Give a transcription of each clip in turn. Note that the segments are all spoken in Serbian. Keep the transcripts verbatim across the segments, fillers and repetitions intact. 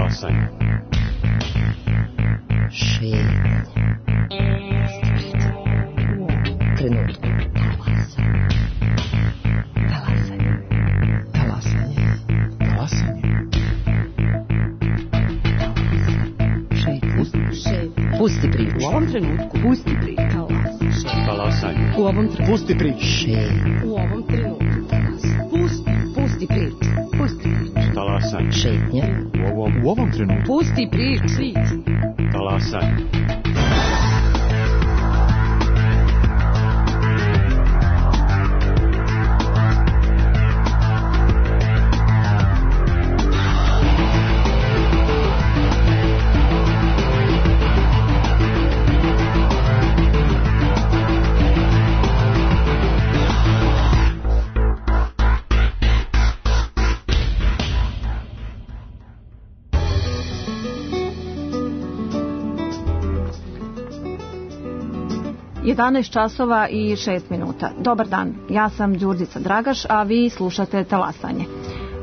Talasanje. Šetnja. Trenutku. Talasanje. Talasanje. Talasanje. Šetnja. Pusti priču. U ovom trenutku. Pusti priču. Talasanje. U ovom trenutku. Pusti priču. Šetnja. U ovom trenutku. Pusti. Pusti priču. Pusti priču. Talasanje. Šetnja. U ovom, u ovom trenutku. Pusti priču. Talasanje. jedanaest časova i šest minuta. Dobar dan, ja sam Đurđica Dragaš, a vi slušate Talasanje.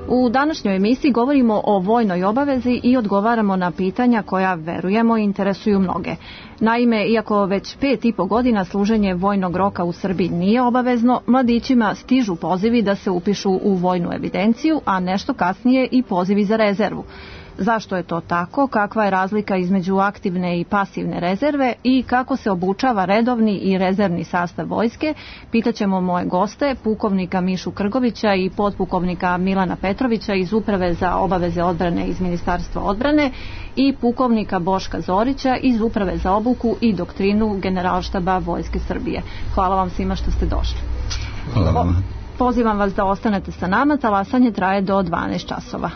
U današnjoj emisiji govorimo o vojnoj obavezi i odgovaramo na pitanja koja, verujemo, interesuju mnoge. Naime, iako već pet i po godina služenje vojnog roka u Srbiji nije obavezno, mladićima stižu pozivi da se upišu u vojnu evidenciju, a nešto kasnije i pozivi za rezervu. Zašto je to tako, kakva je razlika između aktivne i pasivne rezerve i kako se obučava redovni i rezervni sastav vojske, pitaćemo moje goste, pukovnika Mišu Krgovića i potpukovnika Milana Petrovića iz Uprave za obaveze odbrane iz Ministarstva odbrane i pukovnika Boška Zorića iz Uprave za obuku i doktrinu Generalštaba Vojske Srbije. Hvala vam svima što ste došli. Hvala vam. Pozivam vas da ostanete sa nama, talasanje traje do dvanaest časova.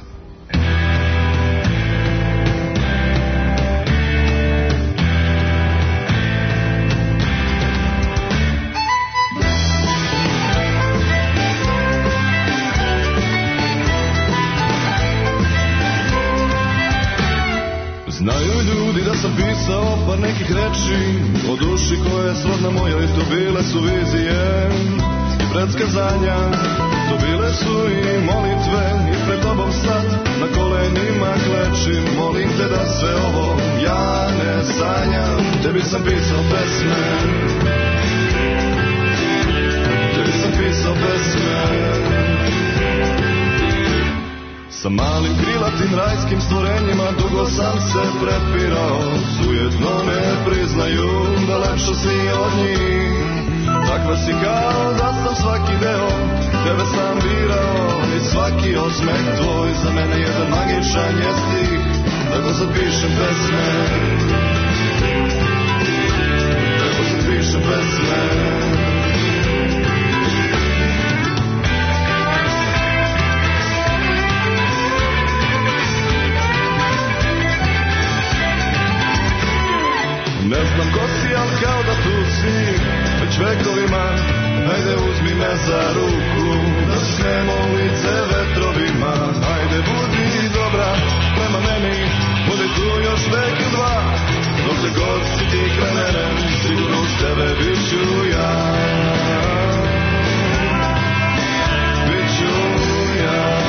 Znaju ljudi da sam pisao par nekih reči o duši koja je srodna mojoj, to bile su vizije i predskazanja, to bile su i molitve i pred tobom sad na kolenima klečim, molim te da sve ovo ja ne sanjam. Tebi sam pisao pesme, tebi sam pisao pesme. Sa malim krilatim rajskim stvorenjima dugo sam se prepirao, sujetno ne priznaju da lepša si od njih. Takva si kao da sam svaki deo, tebe sam birao i svaki osmeh tvoj za mene jedan magičan je stih. Tako sad pišem pesme, tako sad pišem pesme. Ne znam ko si, ali kao da tu si već vekovima. Ajde uzmi me za ruku, da snemo lice vetrovima. Ajde budi dobra prema meni, budi tu još vek i dva. Dok te god si ti kraj mene, sigurno uz tebe bit ću ja. Bit ću ja.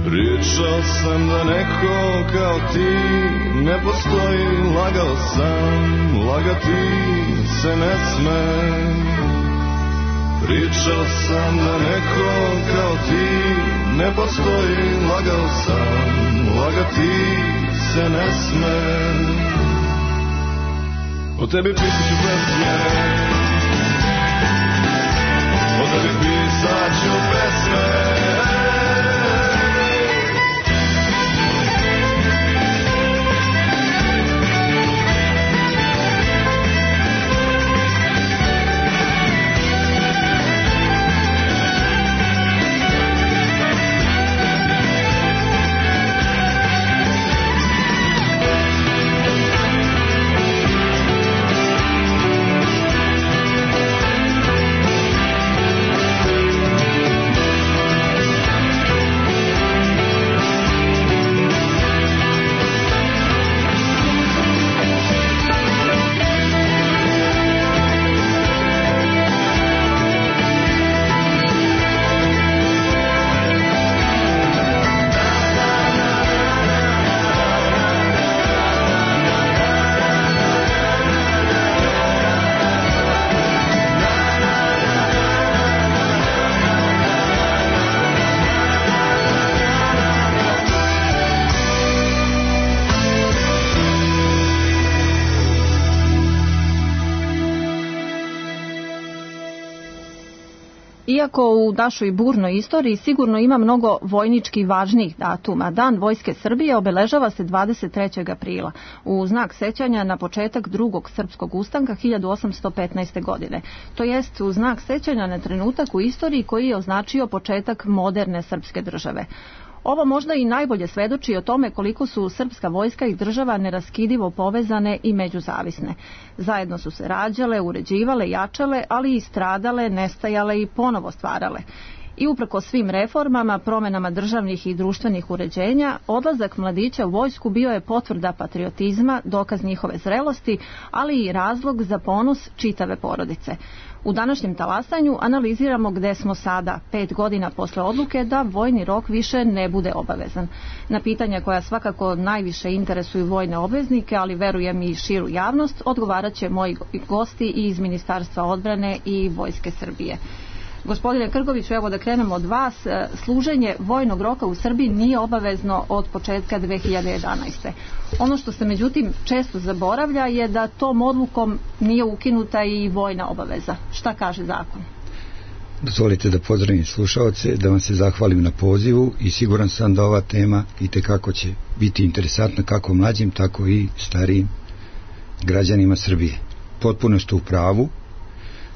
Pričao sam da neko kao ti ne postoji, lagao sam, lagati se ne sme. Pričao sam da neko kao ti ne postoji, lagao sam, lagati se ne sme. O tebi pisat ću pesme, o tebi pisat ću pesme. Iako u našoj burnoj istoriji sigurno ima mnogo vojnički važnijih datuma, Dan Vojske Srbije obeležava se dvadeset trećeg aprila u znak sećanja na početak drugog srpskog ustanka hiljadu osamsto petnaeste. godine. To jest u znak sećanja na trenutak u istoriji koji je označio početak moderne srpske države. Ovo možda i najbolje svedoči o tome koliko su srpska vojska i država neraskidivo povezane i međuzavisne. Zajedno su se rađale, uređivale, jačale, ali i stradale, nestajale i ponovo stvarale. I uprko svim reformama, promenama državnih i društvenih uređenja, odlazak mladića u vojsku bio je potvrda patriotizma, dokaz njihove zrelosti, ali i razlog za ponos čitave porodice. U današnjem talasanju analiziramo gde smo sada, pet godina posle odluke da vojni rok više ne bude obavezan. Na pitanja koja svakako najviše interesuju vojne obveznike, ali verujem i širu javnost, odgovarat će moji gosti iz Ministarstva odbrane i Vojske Srbije. Gospodine Krgoviću, evo da krenemo od vas. Služenje vojnog roka u Srbiji nije obavezno od početka dve hiljade jedanaeste. Ono što se međutim često zaboravlja je da tom odlukom nije ukinuta i vojna obaveza. Šta kaže zakon? Dozvolite da pozdravim slušaoce, da vam se zahvalim na pozivu i siguran sam da ova tema itekako će biti interesantna kako mlađim, tako i starijim građanima Srbije. Potpuno ste u pravu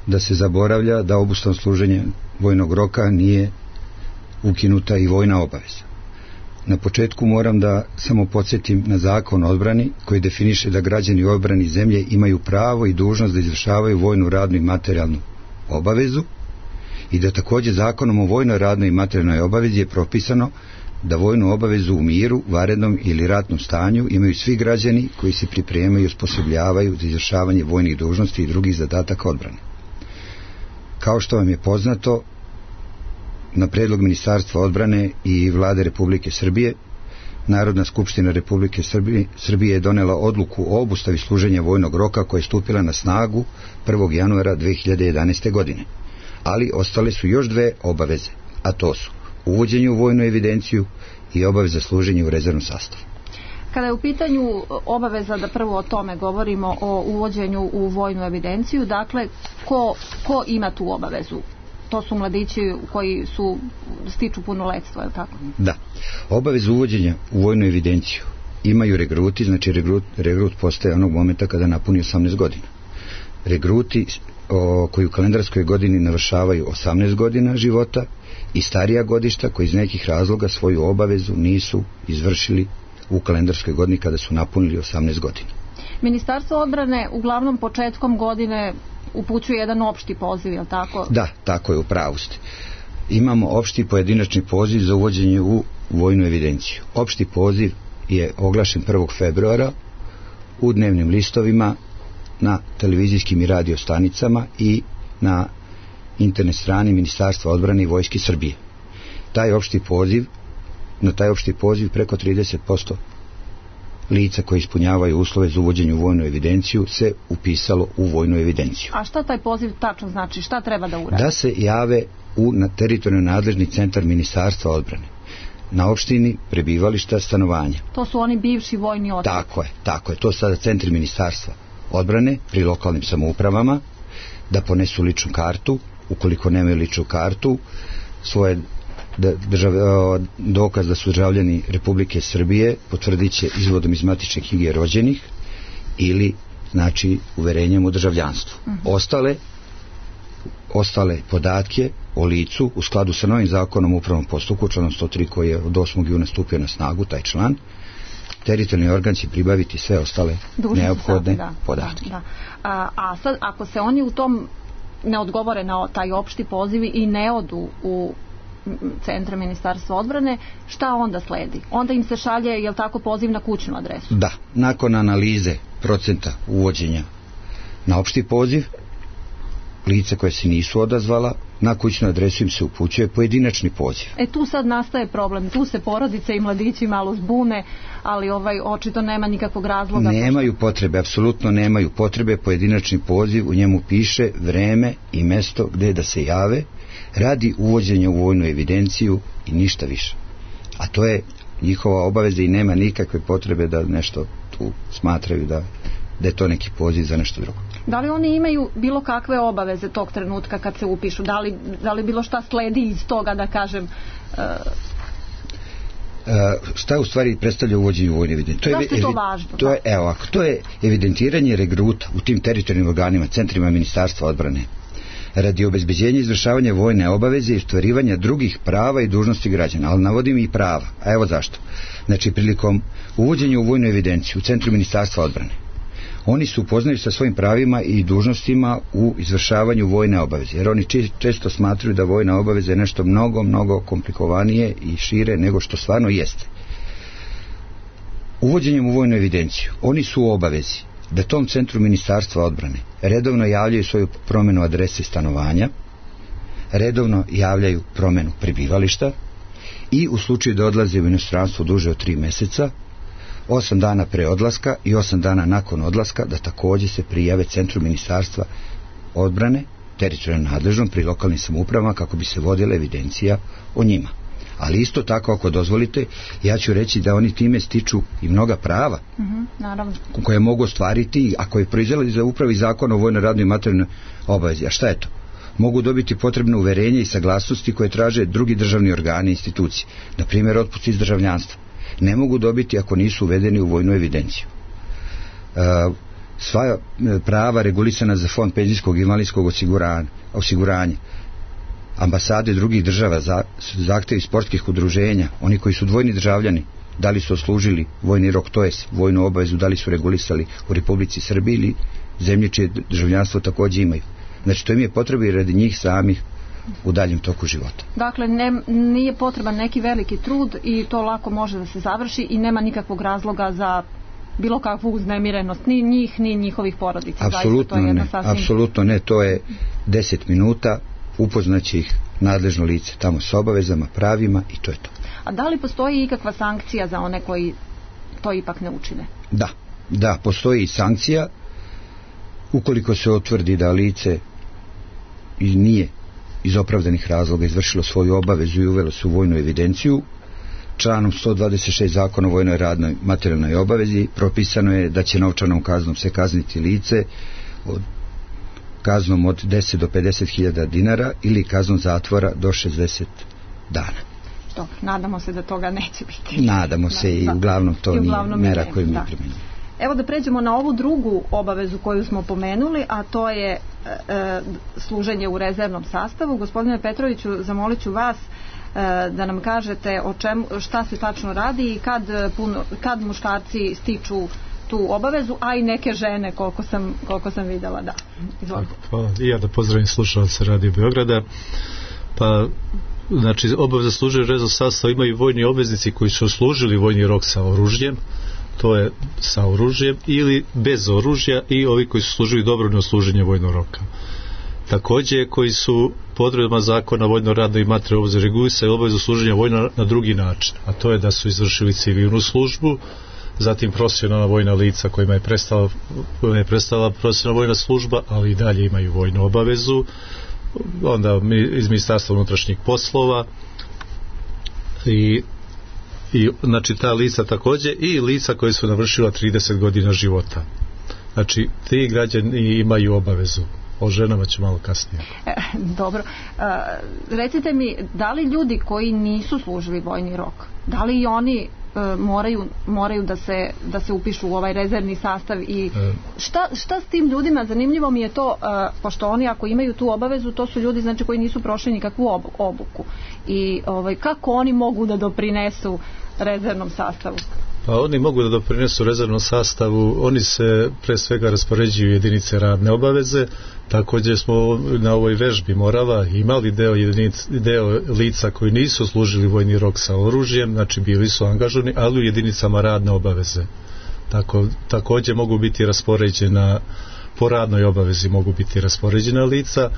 da se zaboravlja da obustavom služenja vojnog roka nije ukinuta i vojna obaveza. Na početku moram da samo podsjetim na Zakon o odbrani koji definiše da građani u odbrani zemlje imaju pravo i dužnost da izvršavaju vojnu, radnu i materijalnu obavezu i da također Zakonom o vojnoj, radnoj i materijalnoj obavezi je propisano da vojnu obavezu u miru, vanrednom ili ratnom stanju imaju svi građani koji se pripremaju i osposobljavaju za izvršavanje vojnih dužnosti i drugih zadataka odbrane. Kao što vam je poznato, na predlog Ministarstva odbrane i Vlade Republike Srbije, Narodna skupština Republike Srbije, Srbije je donela odluku o obustavi služenja vojnog roka koja je stupila na snagu prvog januara dve hiljade jedanaeste. godine. Ali ostale su još dve obaveze, a to su uvođenje u vojnu evidenciju i obaveza služenja u rezervnom sastavu. Kada je u pitanju obaveza, da prvo o tome govorimo, o uvođenju u vojnu evidenciju, dakle, ko, ko ima tu obavezu? To su mladići koji su stiču punoletstvo, je li tako? Da. Obavezu uvođenja u vojnu evidenciju imaju regruti, znači regrut, regrut postaje onog momenta kada napuni osamnaest godina. Regruti o, koji u kalendarskoj godini navršavaju osamnaest godina života i starija godišta koji iz nekih razloga svoju obavezu nisu izvršili u kalendarskoj godini kada su napunili osamnaest godina. Ministarstvo odbrane uglavnom početkom godine upućuje jedan opšti poziv, je li tako? Da, tako je, u pravu ste. Imamo opšti pojedinačni poziv za uvođenje u vojnu evidenciju. Opšti poziv je oglašen prvog februara u dnevnim listovima, na televizijskim i radio stanicama i na internet strani Ministarstva odbrane i Vojske Srbije. Taj opšti poziv, na taj opšti poziv preko trideset posto lica koji ispunjavaju uslove za uvođenje u vojnu evidenciju se upisalo u vojnu evidenciju. A šta taj poziv tačno znači? Šta treba da uradi? Da se jave u na teritorijalno nadležni centar Ministarstva odbrane. Na opštini prebivališta, stanovanja. To su oni bivši vojni odsek. Tako je, tako je. To su sada centri Ministarstva odbrane pri lokalnim samoupravama, da ponesu ličnu kartu, ukoliko nemaju ličnu kartu, svoje držav, dokaz da su državljani Republike Srbije potvrdit će izvodom iz matične knjige rođenih ili znači uverenjem u državljanstvu. Uh-huh. Ostale ostale podatke o licu u skladu sa novim zakonom o upravnom postupku, članom sto tri koji je od osmog juna stupio na snagu, taj član, teritorijalni organ će pribaviti sve ostale Dužni neophodne sad, da, podatke. Da. A, a sad, ako se oni u tom ne odgovore na taj opšti poziv i ne odu u centra Ministarstva odbrane, šta onda sledi? Onda im se šalje, je li tako, poziv na kućnu adresu? Da, nakon analize procenta uvođenja na opšti poziv, lice koje se nisu odazvala, na kućnu adresu im se upućuje pojedinačni poziv. E tu sad nastaje problem, tu se porodice i mladići malo zbune, ali ovaj očito nema nikakvog razloga. Nemaju potrebe, apsolutno nemaju potrebe, pojedinačni poziv, u njemu piše vreme i mesto gde da se jave radi uvođenja u vojnu evidenciju i ništa više. A to je njihova obaveza i nema nikakve potrebe da nešto tu smatraju da, da je to neki poziv za nešto drugo. Da li oni imaju bilo kakve obaveze tog trenutka kad se upišu? Da li, da li bilo šta sledi iz toga, da kažem... Uh... Uh, šta u stvari predstavlja uvođenje u vojne evidencije? Zašto je to važno? To je, evo, ako to je evidentiranje regruta u tim teritorijalnim organima, centrima Ministarstva odbrane, radi obezbeđenja izvršavanja vojne obaveze i ostvarivanja drugih prava i dužnosti građana, ali navodim i prava. A evo zašto. Znači, prilikom uvođenja u vojnu evidenciju u centru Ministarstva odbrane, oni su upoznali sa svojim pravima i dužnostima u izvršavanju vojne obaveze, jer oni često smatruju da vojna obaveza je nešto mnogo, mnogo komplikovanije i šire nego što stvarno jeste. Uvođenjem u vojnu evidenciju, oni su u obavezi da tom centru Ministarstva odbrane redovno javljaju svoju promjenu adrese stanovanja, redovno javljaju promjenu prebivališta i u slučaju da odlaze u inostranstvo duže od tri mjeseca, osam dana pre odlaska i osam dana nakon odlaska, da također se prijave centru Ministarstva odbrane, teritorijalno nadležnom pri lokalnim samoupravama, kako bi se vodila evidencija o njima. Ali isto tako, ako dozvolite, ja ću reći da oni time stiču i mnoga prava, mm-hmm, naravno, koje mogu ostvariti, ako je proizveli za upravi zakon o vojnoj radnoj i materijalnoj obavezi. A šta je to? Mogu dobiti potrebno uverenje i saglasnosti koje traže drugi državni organi i institucije, na primjer otpust iz državljanstva. Ne mogu dobiti ako nisu uvedeni u vojnu evidenciju. E, sva prava regulisana za fond penzijskog i invalidskog osiguranja, osiguranja, ambasade drugih država, za, zahtevi sportskih udruženja, oni koji su dvojni državljani, da li su oslužili vojni rok, to je vojnu obavezu, da li su regulisali u Republici Srbiji ili zemlje čije državljanstvo također imaju. Znači, to im je potrebno i radi njih samih u daljem toku života. Dakle, ne, nije potreban neki veliki trud i to lako može da se završi i nema nikakvog razloga za bilo kakvu uznemirenost ni njih, ni njihovih porodica. Apsolutno ne, sasvim... apsolutno ne, to je deset minuta, upoznaće ih nadležno lice tamo s obavezama, pravima i to je to. A da li postoji ikakva sankcija za one koji to ipak ne učine? Da, da, postoji i sankcija ukoliko se utvrdi da lice i nije iz opravdanih razloga izvršilo svoju obavezu i uvelo se u vojnu evidenciju. Članom sto dvadeset šest Zakona o vojnoj radnoj materijalnoj obavezi propisano je da će novčanom kaznom se kazniti lice od kaznom od deset do pedeset hiljada dinara ili kaznom zatvora do šezdeset dana. Dobro, nadamo se da toga neće biti. Nadamo se da, i uglavnom to i uglavnom nije mera koju mi primjenjujemo. Evo da pređemo na ovu drugu obavezu koju smo pomenuli, a to je e, služenje u rezervnom sastavu. Gospodine Petroviću, zamolit ću vas e, da nam kažete o čemu, šta se tačno radi i kad, puno, kad muškarci stiču tu obavezu, a i neke žene, koliko sam, koliko sam vidjela, da. Izvolite. Pa, i ja da pozdravim slušalce Radio Beograda. Pa, znači, obaveza služenja u rezervnom sastavu imaju vojni obveznici koji su služili vojni rok sa oružjem, to je sa oružjem ili bez oružja, i ovi koji su služili dobrovoljno služenje vojnog roka. Također koji su po odredbama zakona o vojnoj radnoj i materijalnoj obavezi regulisali obavezu služenja vojna na drugi način, a to je da su izvršili civilnu službu, zatim profesionalna vojna lica kojima je prestala, kojima je prestala profesionalna vojna služba, ali i dalje imaju vojnu obavezu, onda iz Ministarstva unutrašnjih poslova i i znači ta lica također i lica koje su navršila trideset godina života. Znači ti građani imaju obavezu. O ženama ću malo kasnije. E, dobro. E, recite mi, da li ljudi koji nisu služili vojni rok, da li i oni e, moraju, moraju da se, da se upišu u ovaj rezervni sastav i e. šta, šta s tim ljudima? Zanimljivo mi je to, e, pošto oni ako imaju tu obavezu, to su ljudi znači koji nisu prošli nikakvu obu, obuku. I ovaj, kako oni mogu da doprinesu rezervnom sastavu? Pa oni mogu da doprinesu rezervnom sastavu, oni se pre svega raspoređuju jedinice radne obaveze. Također smo na ovoj vežbi Morava imali deo, jedinic, deo lica koji nisu služili vojni rok sa oružjem, znači bili su angažovani, ali u jedinicama radne obaveze. Tako, također mogu biti raspoređena po radnoj obavezi, mogu biti raspoređena lica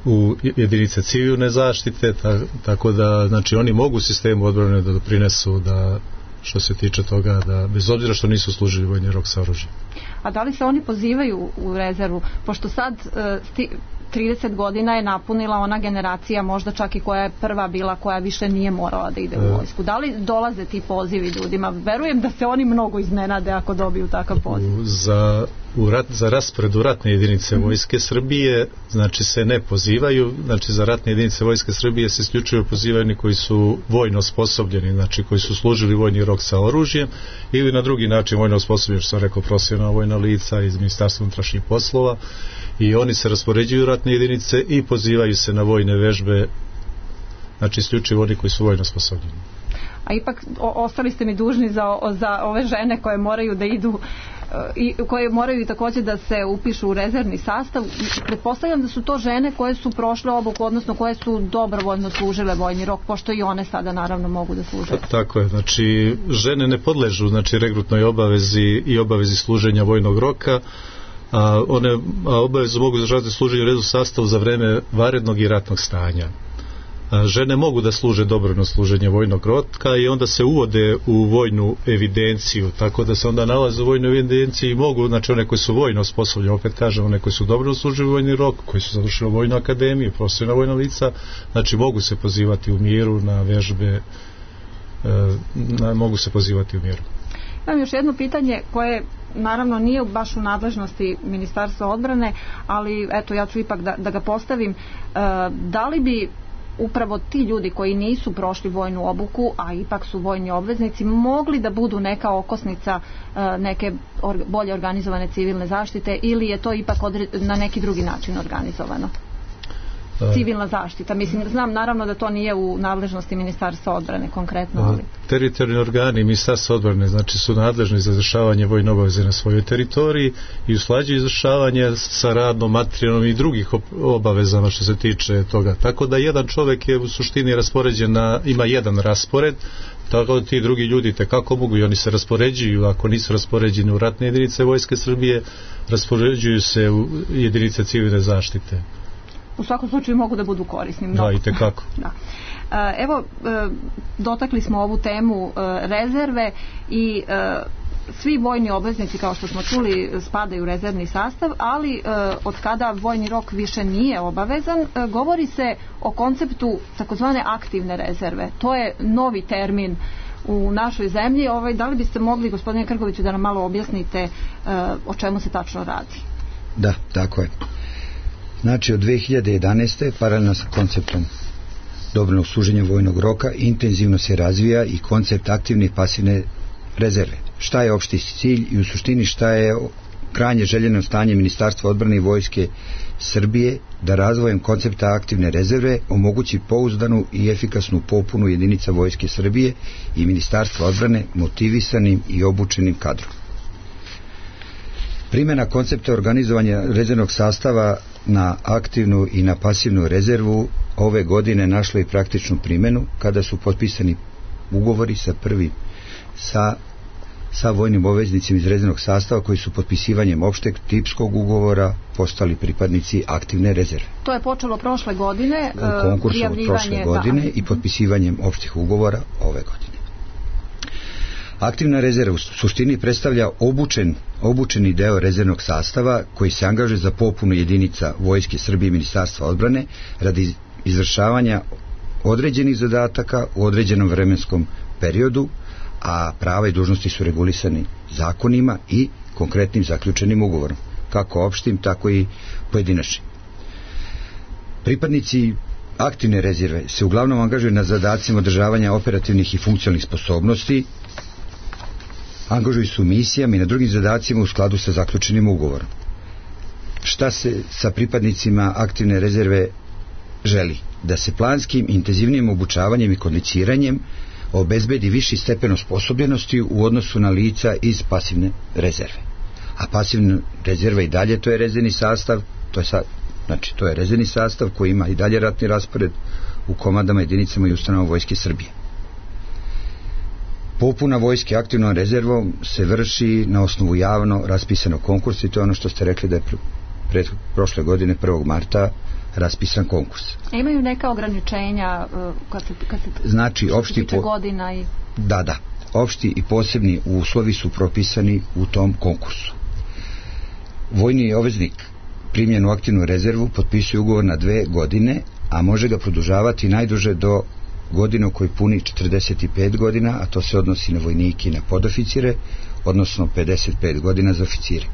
u jedinice civilne zaštite, ta, tako da znači oni mogu sistemu odbrane da doprinesu, da što se tiče toga, da bez obzira što nisu služili vojni rok sa oružjem. A da li se oni pozivaju u rezervu, pošto sad e, sti, trideset godina je napunila ona generacija, možda čak i koja je prva bila, koja više nije morala da ide u vojsku. Da li dolaze ti pozivi ljudima? Verujem da se oni mnogo iznenade ako dobiju takav poziv. Za u rat, za raspored u ratne jedinice vojske Srbije, znači se ne pozivaju, znači za ratne jedinice vojske Srbije se isključivo pozivaju oni koji su vojno osposobljeni, znači koji su služili vojni rok sa oružjem ili na drugi način vojno osposobljeni, što sam rekao, profesionalna vojna lica iz Ministarstva unutrašnjih poslova, i oni se raspoređuju u ratne jedinice i pozivaju se na vojne vežbe, znači isključivo oni koji su vojno osposobljeni. A ipak o, ostali ste mi dužni za, za ove žene koje moraju da idu i koje moraju također da se upišu u rezervni sastav. Pretpostavljam da su to žene koje su prošle obuku, odnosno koje su dobrovoljno služile vojni rok, pošto i one sada naravno mogu da služe. Tako je, znači žene ne podležu znači regrutnoj obavezi i obavezi služenja vojnog roka, a one a obavezu mogu izvršavati služenje u redu sastavu za vreme vanrednog i ratnog stanja. Žene mogu da služe dobrovoljno služenje vojnog roka i onda se uvode u vojnu evidenciju, tako da se onda nalaze u vojnoj evidenciji i mogu, znači one koji su vojno osposobljeni, opet kažem, one koji su dobrovoljno služili vojni rok, koji su završili vojnu akademiju, profesionalna vojna lica, znači mogu se pozivati u miru na vežbe, na, mogu se pozivati u miru. Imam još jedno pitanje koje naravno nije baš u nadležnosti Ministarstva odbrane, ali eto ja ću ipak da, da ga postavim. E, da li bi upravo ti ljudi koji nisu prošli vojnu obuku, a ipak su vojni obveznici, mogli da budu neka okosnica e, neke or, bolje organizovane civilne zaštite, ili je to ipak odre, na neki drugi način organizovano? Civilna zaštita. Mislim, znam naravno da to nije u nadležnosti Ministarstva odbrane konkretno, ali... Teritorijalni organi Ministarstva odbrane znači su nadležni za izvršavanje vojne obaveze na svojoj teritoriji i usklađuju izvršavanje sa radnom, materijalnom i drugih obavezama što se tiče toga. Tako da jedan čovjek je u suštini raspoređen na, ima jedan raspored, tako da ti drugi ljudi tekako mogu i oni se raspoređuju, ako nisu raspoređeni u ratne jedinice vojske Srbije, raspoređuju se u jedinice civilne zaštite. U svakom slučaju mogu da budu korisni. Da, i tekako. Da. Evo, dotakli smo ovu temu rezerve i svi vojni obveznici, kao što smo čuli, spadaju u rezervni sastav, ali od kada vojni rok više nije obavezan, govori se o konceptu takozvane aktivne rezerve. To je novi termin u našoj zemlji. Ovaj, da li biste mogli, gospodine Krgoviću, da nam malo objasnite o čemu se tačno radi? Da, tako je. Znači od dve hiljade jedanaeste paralelno sa konceptom dobrovoljnog služenja vojnog roka intenzivno se razvija i koncept aktivne i pasivne rezerve. Šta je opšti cilj i u suštini šta je krajnje željeno stanje Ministarstva odbrane i vojske Srbije da razvojem koncepta aktivne rezerve omogući pouzdanu i efikasnu popunu jedinica vojske Srbije i Ministarstva odbrane motivisanim i obučenim kadrom. Primjena koncepta organizovanja rezervnog sastava na aktivnu i na pasivnu rezervu ove godine našla i praktičnu primjenu kada su potpisani ugovori sa prvim sa, sa vojnim obveznicima iz rezervnog sastava koji su potpisivanjem opšteg tipskog ugovora postali pripadnici aktivne rezerve. To je počelo prošle godine, konkursom prošle godine da. I potpisivanjem opštih ugovora ove godine. Aktivna rezerva u suštini predstavlja obučen, obučeni deo rezervnog sastava koji se angažuje za popunu jedinica vojske Srbije i Ministarstva odbrane radi izvršavanja određenih zadataka u određenom vremenskom periodu, a prava i dužnosti su regulisani zakonima i konkretnim zaključenim ugovorom, kako opštim, tako i pojedinačnim. Pripadnici aktivne rezerve se uglavnom angažuju na zadacima održavanja operativnih i funkcionalnih sposobnosti, angažuju su misijama i na drugim zadacima u skladu sa zaključenim ugovorom. Šta se sa pripadnicima aktivne rezerve želi? Da se planskim, intenzivnijim obučavanjem i kondiciranjem obezbedi viši stepen osposobljenosti u odnosu na lica iz pasivne rezerve. A pasivna rezerva i dalje to je rezervni sastav, to je sa, znači to je rezervni sastav koji ima i dalje ratni raspored u komandama, jedinicama i ustanovama vojske Srbije. Popuna vojske aktivnom rezervom se vrši na osnovu javno raspisanog konkursa i to je ono što ste rekli da je pred prošle godine prvog marta raspisan konkurs. A imaju neka ograničenja kad se, kad se znači, opšti po... godina i... Da, da. Opšti i posebni uslovi su propisani u tom konkursu. Vojni obveznik primljen u aktivnu rezervu potpisuje ugovor na dve godine, a može ga produžavati najduže do godine u kojoj puni četrdeset pet godina, a to se odnosi na vojnike i na podoficire, odnosno pedeset pet godina za oficire.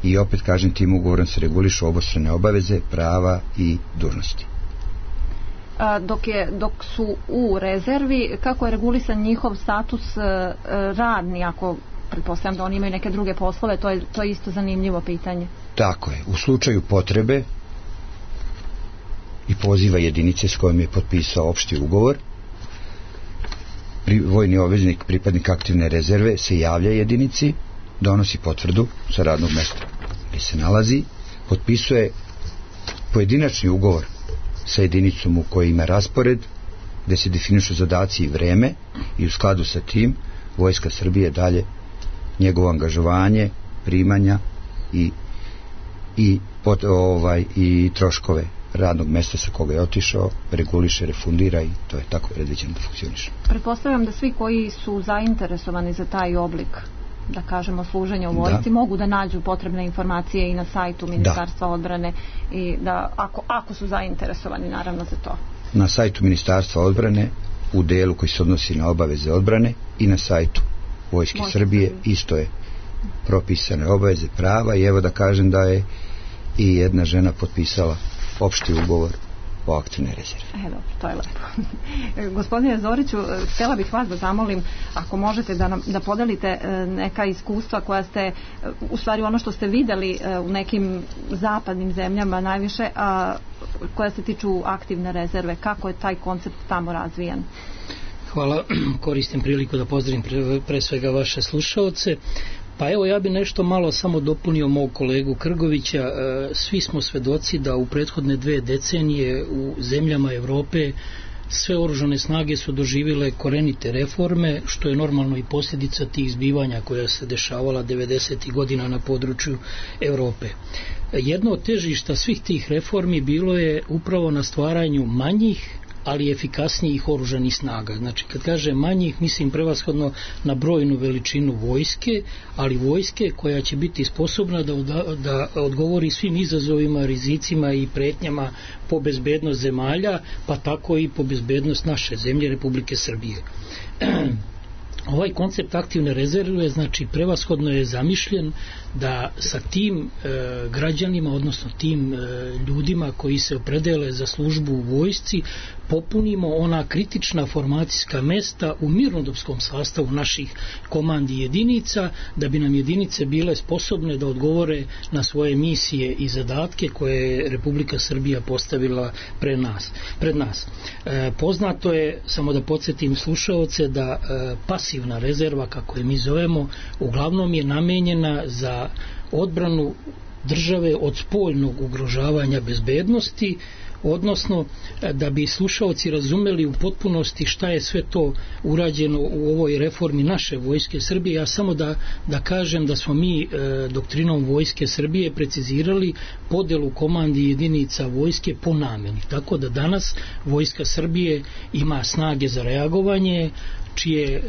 i opet kažem, tim ugovorom se regulišu obostrane obaveze, prava i dužnosti. A, dok, je, dok su u rezervi, kako je regulisan njihov status e, radni, ako pretpostavljam da oni imaju neke druge poslove, to je, to je isto zanimljivo pitanje. Tako je, u slučaju potrebe i poziva jedinice s kojom je potpisao opšti ugovor, pri, vojni obveznik, pripadnik aktivne rezerve se javlja jedinici, donosi potvrdu sa radnog mesta gdje se nalazi, potpisuje pojedinačni ugovor sa jedinicom u kojoj ima raspored, gdje se definišu zadaci i vreme, i u skladu sa tim Vojska Srbije dalje njegovo angažovanje, primanja i i pot, ovaj i troškove radnog mesta sa koga je otišao reguliše, refundira, i to je tako predviđeno da funkcioniše. Pretpostavljam da svi koji su zainteresovani za taj oblik, da kažemo, služenja u vojsci, da. mogu da nađu potrebne informacije i na sajtu Ministarstva da. odbrane, i da ako, ako su zainteresovani naravno za to. Na sajtu Ministarstva odbrane u delu koji se odnosi na obaveze odbrane i na sajtu Vojske Vojske Srbije isto je propisane obaveze, prava, i evo da kažem da je i jedna žena potpisala opšti ugovor o aktivnoj rezervi. E, dobro, to je lepo. Gospodine Zoriću, htjela bih vas da zamolim, ako možete da, nam, da podelite neka iskustva koja ste, u stvari ono što ste vidjeli u nekim zapadnim zemljama najviše, a koja se tiču aktivne rezerve, kako je taj koncept tamo razvijan? Hvala, koristim priliku da pozdravim pre, pre svega vaše slušaoce. Pa evo, ja bi nešto malo samo dopunio mog kolegu Krgovića. Svi smo svedoci da u prethodne dve decenije u zemljama Evrope sve oružane snage su doživjele korenite reforme, što je normalno i posljedica tih zbivanja koja se dešavala devedesetih godina na području Evrope. Jedno od težišta svih tih reformi bilo je upravo na stvaranju manjih, ali efikasnijih oružanih snaga. Znači, kad kaže manjih, mislim prevashodno na brojnu veličinu vojske, ali vojske koja će biti sposobna da, da odgovori svim izazovima, rizicima i pretnjama po bezbednost zemalja, pa tako i po bezbednost naše zemlje, Republike Srbije. Ovaj koncept aktivne rezerve, znači, prevashodno je zamišljen da sa tim e, građanima, odnosno tim e, ljudima koji se opredele za službu u vojsci, popunimo ona kritična formacijska mesta u mirnodopskom sastavu naših komandi jedinica, da bi nam jedinice bile sposobne da odgovore na svoje misije i zadatke koje je Republika Srbija postavila pre nas, pred nas. E, poznato je, samo da podsjetim slušaoce, da e, pasivna rezerva, kako je mi zovemo, uglavnom je namenjena za odbranu države od spoljnog ugrožavanja bezbednosti, odnosno da bi slušaoci razumeli u potpunosti šta je sve to urađeno u ovoj reformi naše Vojske Srbije. Ja samo da, da kažem da smo mi e, doktrinom Vojske Srbije precizirali podelu komandi jedinica vojske po nameni. Tako da danas Vojska Srbije ima snage za reagovanje, čije,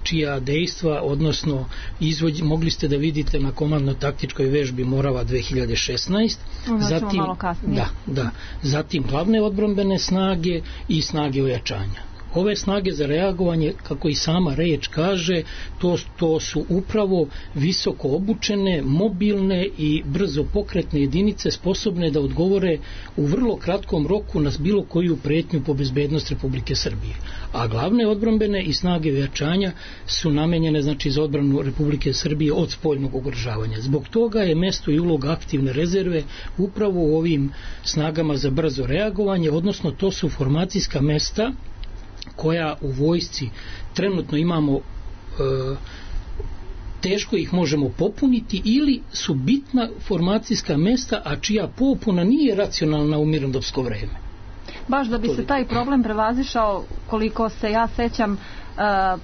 čija dejstva, odnosno izvođ, mogli ste da vidite na komandno-taktičkoj vežbi Morava dve hiljade šesnaeste. Zatim, da, da, zatim glavne odbrambene snage i snage ojačanja. Ove snage za reagovanje, kako i sama reč kaže, to, to su upravo visoko obučene, mobilne i brzo pokretne jedinice sposobne da odgovore u vrlo kratkom roku na bilo koju pretnju po bezbednost Republike Srbije. A glavne odbrambene i snage ojačanja su namenjene, znači, za odbranu Republike Srbije od spoljnog ugrožavanja. Zbog toga je mesto i uloga aktivne rezerve upravo u ovim snagama za brzo reagovanje, odnosno to su formacijska mesta koja u vojsci trenutno imamo, e, teško ih možemo popuniti, ili su bitna formacijska mesta, a čija popuna nije racionalna u mirnodopsko vreme. Baš da bi se taj problem prevazišao, koliko se ja sećam, e,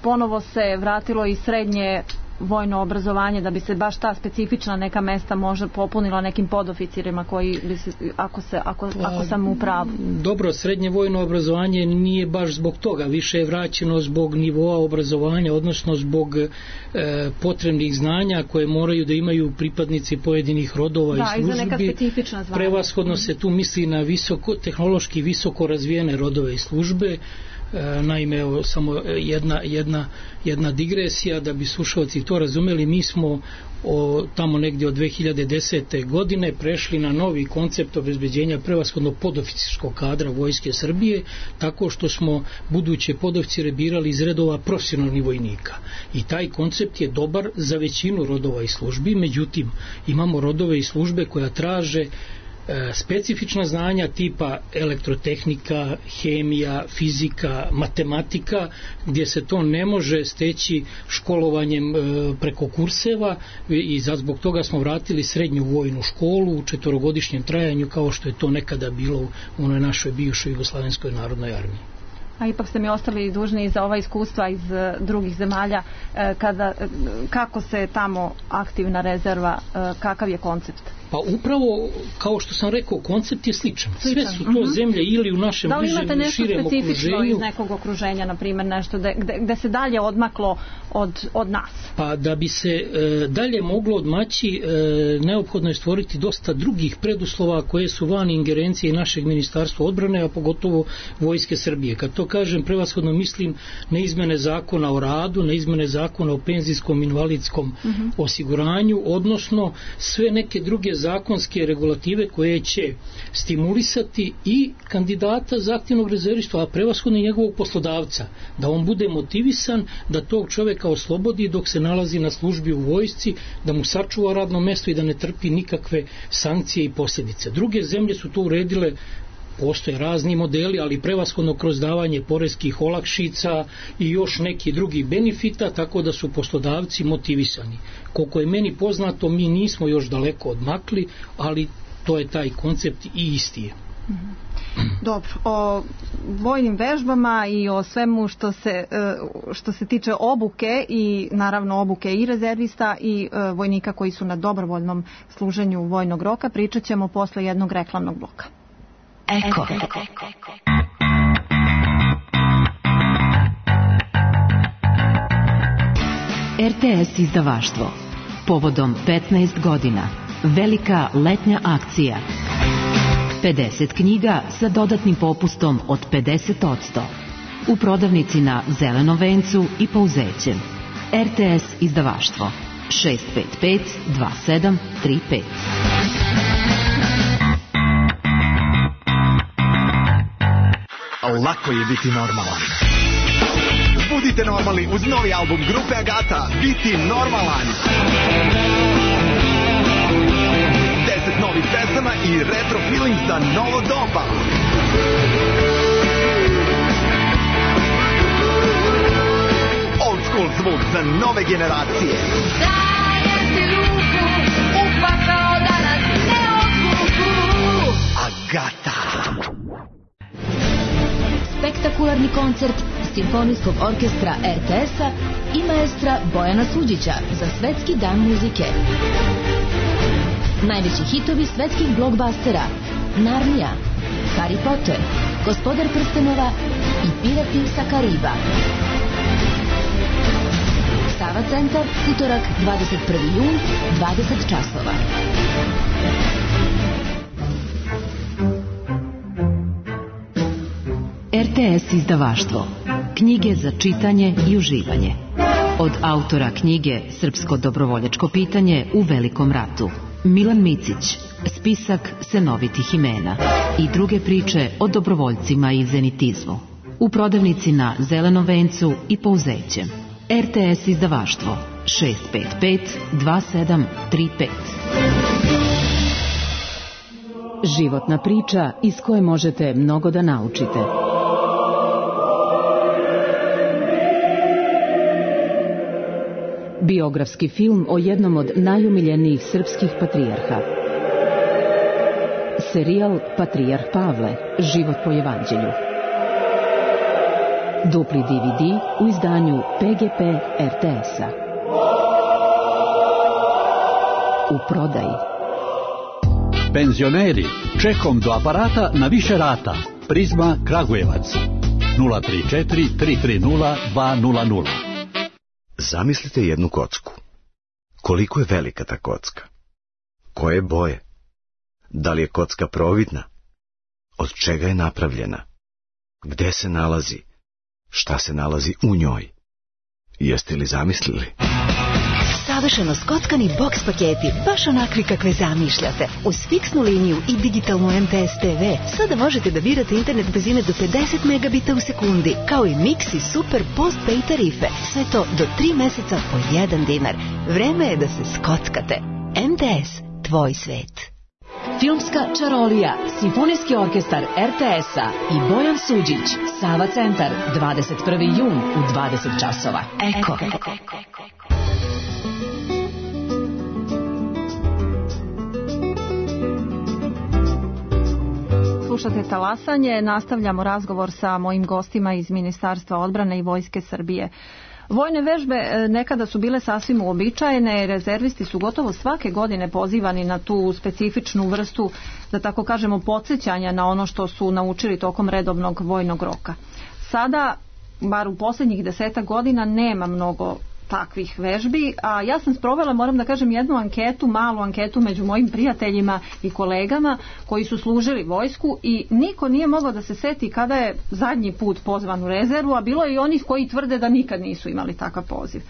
ponovo se vratilo i srednje vojno obrazovanje, da bi se baš ta specifična neka mesta možda popunila nekim podoficirima koji bi se, ako, se, ako, pa, ako sam u pravu. Dobro, srednje vojno obrazovanje nije baš zbog toga, više je vraćeno zbog nivoa obrazovanja, odnosno zbog e, potrebnih znanja koje moraju da imaju pripadnici pojedinih rodova da, i službi. Da, i za neka specifična zvanja. Prevashodno se tu misli na visoko, tehnološki visoko razvijene rodove i službe. Naime, evo, samo jedna, jedna, jedna digresija da bi slušalci to razumeli. Mi smo o, tamo negdje od dve hiljade desete. godine prešli na novi koncept obezbeđenja prevashodno podoficirskog kadra Vojske Srbije, tako što smo buduće podoficire birali iz redova profesionalnih vojnika. I taj koncept je dobar za većinu rodova i službi, međutim imamo rodove i službe koja traže specifična znanja tipa elektrotehnika, hemija, fizika, matematika, gdje se to ne može steći školovanjem preko kurseva i zbog toga smo vratili srednju vojnu školu u četvorogodišnjem trajanju, kao što je to nekada bilo u onoj našoj bivšoj Jugoslovenskoj narodnoj armiji. A ipak ste mi ostali dužni za ova iskustva iz drugih zemalja, kada, kako se tamo aktivna rezerva, kakav je koncept? Pa upravo, kao što sam rekao, koncept je sličan. Sve su to uh-huh. zemlje ili u našem bližem ili širem okruženju. Da li imate nešto specifično iz nekog okruženja, na primjer, nešto gde, gde se dalje odmaklo od, od nas? Pa da bi se e, dalje moglo odmaći, e, neophodno je stvoriti dosta drugih preduslova koje su van ingerencije našeg ministarstva odbrane, a pogotovo Vojske Srbije. Kad to kažem, prevashodno mislim na izmene zakona o radu, na izmene zakona o penzijskom invalidskom uh-huh. osiguranju, odnosno sve neke druge zakonske regulative koje će stimulisati i kandidata za aktivnog rezervistu, a prevashodno i njegovog poslodavca, da on bude motivisan da tog čovjeka oslobodi dok se nalazi na službi u vojsci, da mu sačuva radno mjesto i da ne trpi nikakve sankcije i posljedice. Druge zemlje su to uredile, postoje razni modeli, ali prevashodno kroz davanje poreskih olakšica i još neki drugi benefita, tako da su poslodavci motivisani. Koliko je meni poznato, mi nismo još daleko odmakli, ali to je taj koncept i isti je. Dobro, o vojnim vežbama i o svemu što se, što se tiče obuke i naravno obuke i rezervista i vojnika koji su na dobrovoljnom služenju vojnog roka pričat ćemo posle jednog reklamnog bloka. Eko. R T S izdavaštvo. Povodom petnaest godina. Velika letnja akcija. pedeset knjiga sa dodatnim popustom od pedeset posto. U prodavnici na Zelenom vencu i Pouzećem. R T S izdavaštvo. šest pet pet dva sedam tri pet. Lako je biti normalan. Budite normalni uz novi album grupe Agata, Biti normalan. Deset novih pesama i retro feeling za novo doba. Old school zvuk za nove generacije. Dajem ti ruku, upakao da nas ne odvuku. Agata. Spektakularni koncert Simfonijskog orkestra R T S-a i maestra Bojana Suđića za Svetski dan muzike. Najveći hitovi svetskih blockbustera: Narnija, Harry Potter, Gospodar prstenova i Pirati sa Kariba. Sava centar, utorak dvadeset prvi jun, dvadeset časova. R T S izdavaštvo. Knjige za čitanje i uživanje. Od autora knjige Srpsko dobrovoljačko pitanje u Velikom ratu, Milan Micić, spisak senovitih imena i druge priče o dobrovoljcima i zenitizmu. U prodavnici na Zelenom vencu i Pouzećem. R T S izdavaštvo šest pet pet dva sedam tri pet. Životna priča iz koje možete mnogo da naučite. Biografski film o jednom od najumiljenijih srpskih patrijarha. Serijal Patrijarh Pavle, život po evanđelju. Dupli D V D u izdanju P G P R T S-a. U prodaji. Penzioneri, čekom do aparata na više rata. Prizma Kragujevac. nula tri četiri tri tri nula dva nula nula. Zamislite jednu kocku. Koliko je velika ta kocka? Koje boje? Da li je kocka providna? Od čega je napravljena? Gde se nalazi? šta se nalazi u njoj. Jeste li zamislili? Savršeno skockani boks paketi, baš onakvi kakve zamišljate. Uz fiksnu liniju i digitalnu M T S T V sada možete da birate internet brzine do pedeset megabita u sekundi, kao i Mix i Super postpaid tarife. Sve to do tri meseca po jedan dinar. Vreme je da se skockate. M T S, tvoj svet. Filmska čarolija, Simfonijski orkestar R T S-a i Bojan Suđić, Sava centar, dvadeset prvi jun u dvadeset časova. Eko. Slušate Talasanje, nastavljamo razgovor sa mojim gostima iz Ministarstva odbrane i Vojske Srbije. Vojne vežbe nekada su bile sasvim uobičajene, rezervisti su gotovo svake godine pozivani na tu specifičnu vrstu, da tako kažemo, podsjećanja na ono što su naučili tokom redovnog vojnog roka. Sada, bar u posljednjih desetak godina, nema mnogo takvih vežbi, a ja sam sprovela, moram da kažem, jednu anketu, malu anketu među mojim prijateljima i kolegama koji su služili vojsku i niko nije mogao da se seti kada je zadnji put pozvan u rezervu, a bilo je i onih koji tvrde da nikad nisu imali takav poziv.